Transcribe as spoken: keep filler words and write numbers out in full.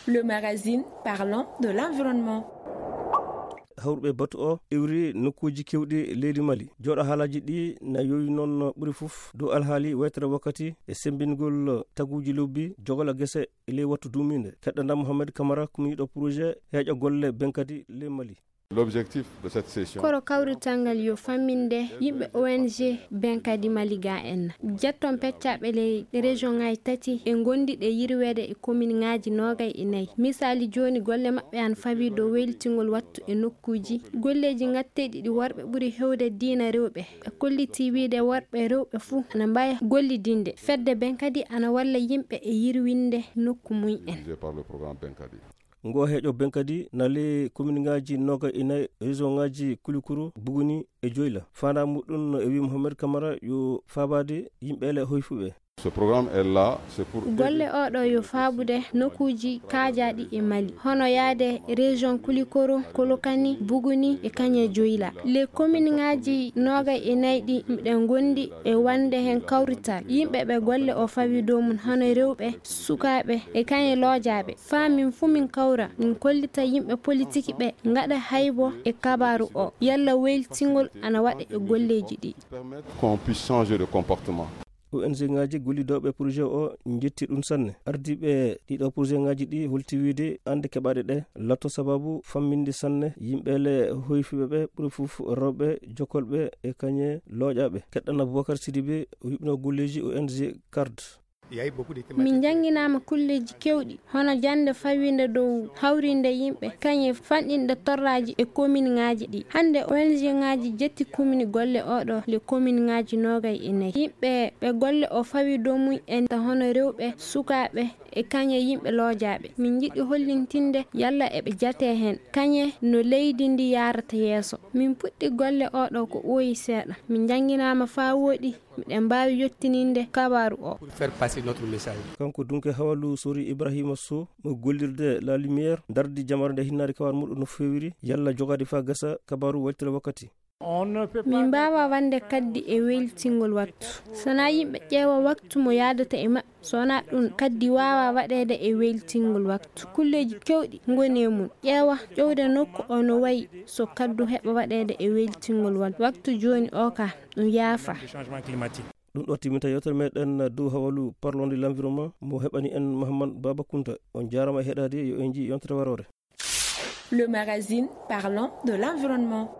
Le magazine parlant de l'environnement. Hawruɓe batu o iwri nokkuuji kewɗi leydi Mali. Jooɗo haalaaji ɗi na yowi noon ɓuri fof dow alhaali waytere wakkati e semmbingol taguuji lobbi, jogala gese e ley wattu duumiinde. Keɗɗanɗaa Mohamed Kamara, kumiiɗo projet heeƴa golle benkadi ley Mali. L'objectif de cette session. Koro kawrital ngal yo famminde yimɓe O N G benkadi Mali ga en. Jetton peccaaɓe ley région ŋaaji tati e ngondiɗe yirweede e commune ŋaaji noogay e nayi. Misaali jooni golle maɓɓe ana fawi dow waylitingol wattu e nokkuuji. Golleeji gatteeɗi ɗi worɓe ɓuri hewde diina rewɓe. Ɓe kolliti wiide worɓe rewɓe fuu ana mbaawi gollidinde. Fedde benkadi ana walla yimɓe e yirwinde nokku mum en. Dirigé par le programme Benkadi. Ngo heeƴo benkadi na ley commune ŋaaji noogay e nayi région ŋaaji Kulikoro, Buguni e Joyla. Faandaa muɗum e wi Mohamed Kamara yo faabaade yimɓe le hoyfuɓe. Ce programme est là, c'est pour aider. Golle oɗo yo faabude nokkuuji kaajaaɗi e Mali, hono yaade région Kulikoro, Kolokani, Buguni e kañe Joyla. Les commune ŋaaji noogay e nayi ɗi miɗen ngondi e wonde heen kawrital. Yimɓe ɓe golle o fawi dow mum hono rewɓe, sukaaɓe e kañe loojaaɓe. Faa min fuu min kawra, min kollita yimɓe politiki ɓe, ngaɗa haybo e kabaaru o. Yalla waylitingol ana waɗa e golleeji ɗi. Permettre qu'on puisse changer de comportement. O N G ŋaaji gollidooɓe projet o njetti ɗum sanne. Ardiiɓe ɗiɗo projet ŋaaji ɗi holti wiide annde keɓaaɗe ɗe lato sababu famminde sanne yimɓe le hoyfuɓe ɓe ɓuri fof rewɓe jokolɓe e kañe looƴaaɓe. Keɗɗan Aboubacar Sidibé o yuɓɓino golleeji O N G card. Min njannginaama kulleeji keewɗi, hono jannde fawiinde dow hawriinde yimɓe, kañe fanɗinde torraaji e kominŋaaji ɗi. Hannde O N G ŋaaji jetti komini golle oɗo le kominŋaaji noogay e nayi. Yimɓe ɓe golle o fawi dow mum en ta hono rewɓe, sukaaɓe e kañe yimɓe loojaaɓe. Min njiɗi hollintinde yalla eɓe jatee heen, kañe no leydi ndi yaarata yeeso. Min puɗɗi golle oɗo ko ɓooyi seeɗa. Min njannginaama faa wooɗi. Miɗen mbaawi yottininde kabaaru o. Pour faire passer notre message. Kanko dunke hawalu sori Ibrahima Sow mo gollirde La Lumière dardi jamare nde hinnaade kabaaru muɗum no feewiri yalla jogaade faa gasa kabaaru waltira wakkati. Min mbaawa wande kaddi e weltingol waktu. Sana yimɓe ƴeewa waktu mo yaadata e maɓɓe. So wonaa ɗum, kaddi waawaa waɗeede e weltingol waktu. Kulleeji keewɗi ngoni e mum. Ƴeewa ƴowde nokku o no wayi so kaddu heɓa waɗeede e weltingol waktu. Waktu jooni o ka ɗum yaafa. Ɗum ɗo timmita yewtere meɗen dow hawalu parlonde l'environnement mo heɓani en Mahamman Baba Kunta. On jaarama e heɗaade, yo en njii yontere waroore. Le magazine parlant de l'environnement.